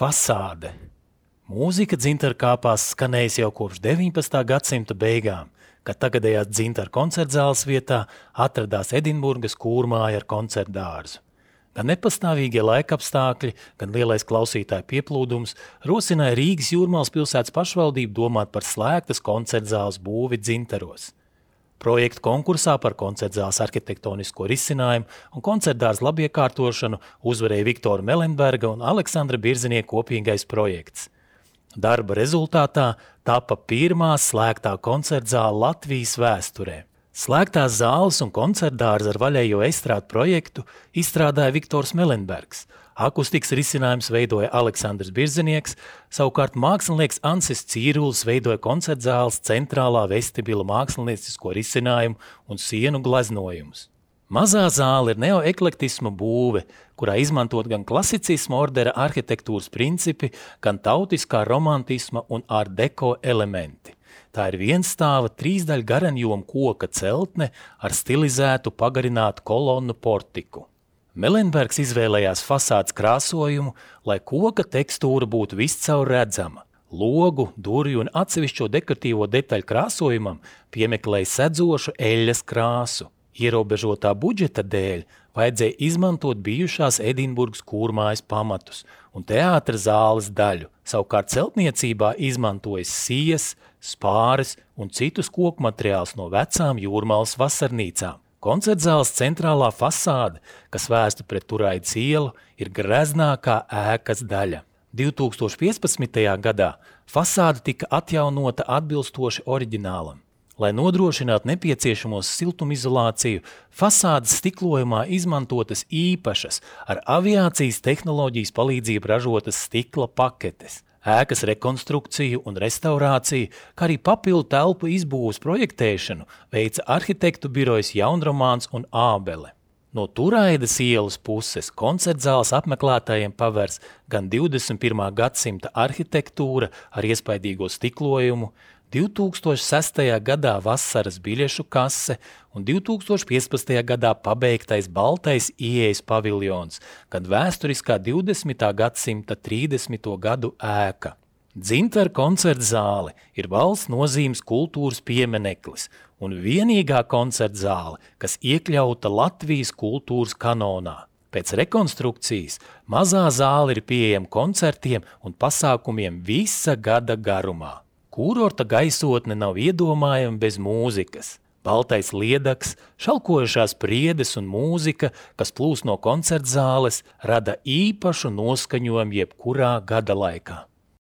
Fasāde. Mūzika Dzintarkāpās skanējis jau kopš 19. gadsimta beigām, kad tagadējās Dzintaru koncertzāles vietā atradās Edinburgas kūrmāja ar koncertdārzu. Gan nepastāvīgie laikapstākļi, gan lielais klausītāju pieplūdums rosināja Rīgas Jūrmalas pilsētas pašvaldību domāt par slēgtas koncertzāles būvi Dzintaros. Projektu konkursā par koncertzāles arhitektonisko risinājumu un koncertdārza labiekārtošanu uzvarēja Viktora Melenberga un Aleksandra Birzinieka kopīgais projekts. Darba rezultātā tapa pirmā slēgtā koncertzāle Latvijas vēsturē. Slēgtās zāles un koncertdārza ar vaļējo estrādu projektu izstrādāja Viktors Melenbergs. Akustikas risinājums veidoja Aleksandrs Birzinieks, savukārt mākslinieks Ansis Cīrulis veidoja koncertzāles centrālā vestibila māksliniecisko risinājumu un sienu gleznojumus. Mazā zāle ir neoeklektisma būve, kurā izmantot gan klasicisma ordera arhitektūras principi, gan tautiskā romantisma un art deco elementi. Tā ir vienstāva trīsdaļu garanjoma koka celtne ar stilizētu pagarinātu kolonnu portiku. Melenbergs izvēlējās fasādes krāsojumu, lai koka tekstūra būtu viscaur redzama. Logu, durvju un atsevišķo dekoratīvo detaļu krāsojumam piemeklēja sedzošu eļļas krāsu. Ierobežotā budžeta dēļ vajadzēja izmantot bijušās Edinburgas kūrmājas pamatus un teātra zāles daļu. Savukārt celtniecībā izmantojas sijas, spāres un citus koku materiālus no vecām Jūrmalas vasarnīcām. Koncertzāles centrālā fasāde, kas vērsta pret Turaidas ielu, ir greznākā ēkas daļa. 2015. gadā fasāde tika atjaunota atbilstoši oriģinālam. Lai nodrošinātu nepieciešamos siltumizolāciju, fasādes stiklojumā izmantotas īpašas ar aviācijas tehnoloģijas palīdzību ražotas stikla paketes. Ēkas rekonstrukciju un restaurāciju, kā arī papildu telpu izbūves projektēšanu veica arhitektu birojas Jaunromāns un Ābele. No Turaidas ielas puses koncertzāles apmeklētājiem pavērs gan 21. gadsimta arhitektūra ar iespaidīgo stiklojumu, 2006. gadā vasaras biļešu kase un 2015. gadā pabeigtais baltais ieejas paviljons, gan vēsturiskā 20. gadsimta 30. gadu ēka. Dzintaru koncertzāle ir valsts nozīmes kultūras piemineklis un vienīgā koncertzāle, kas iekļauta Latvijas kultūras kanonā. Pēc rekonstrukcijas mazā zāle ir pieejama koncertiem un pasākumiem visa gada garumā. Kūrorta gaisotne nav iedomājama bez mūzikas. Baltais liedaks, šalkojušās priedes un mūzika, kas plūst no koncertzāles, rada īpašu noskaņojumu jebkurā gada laikā.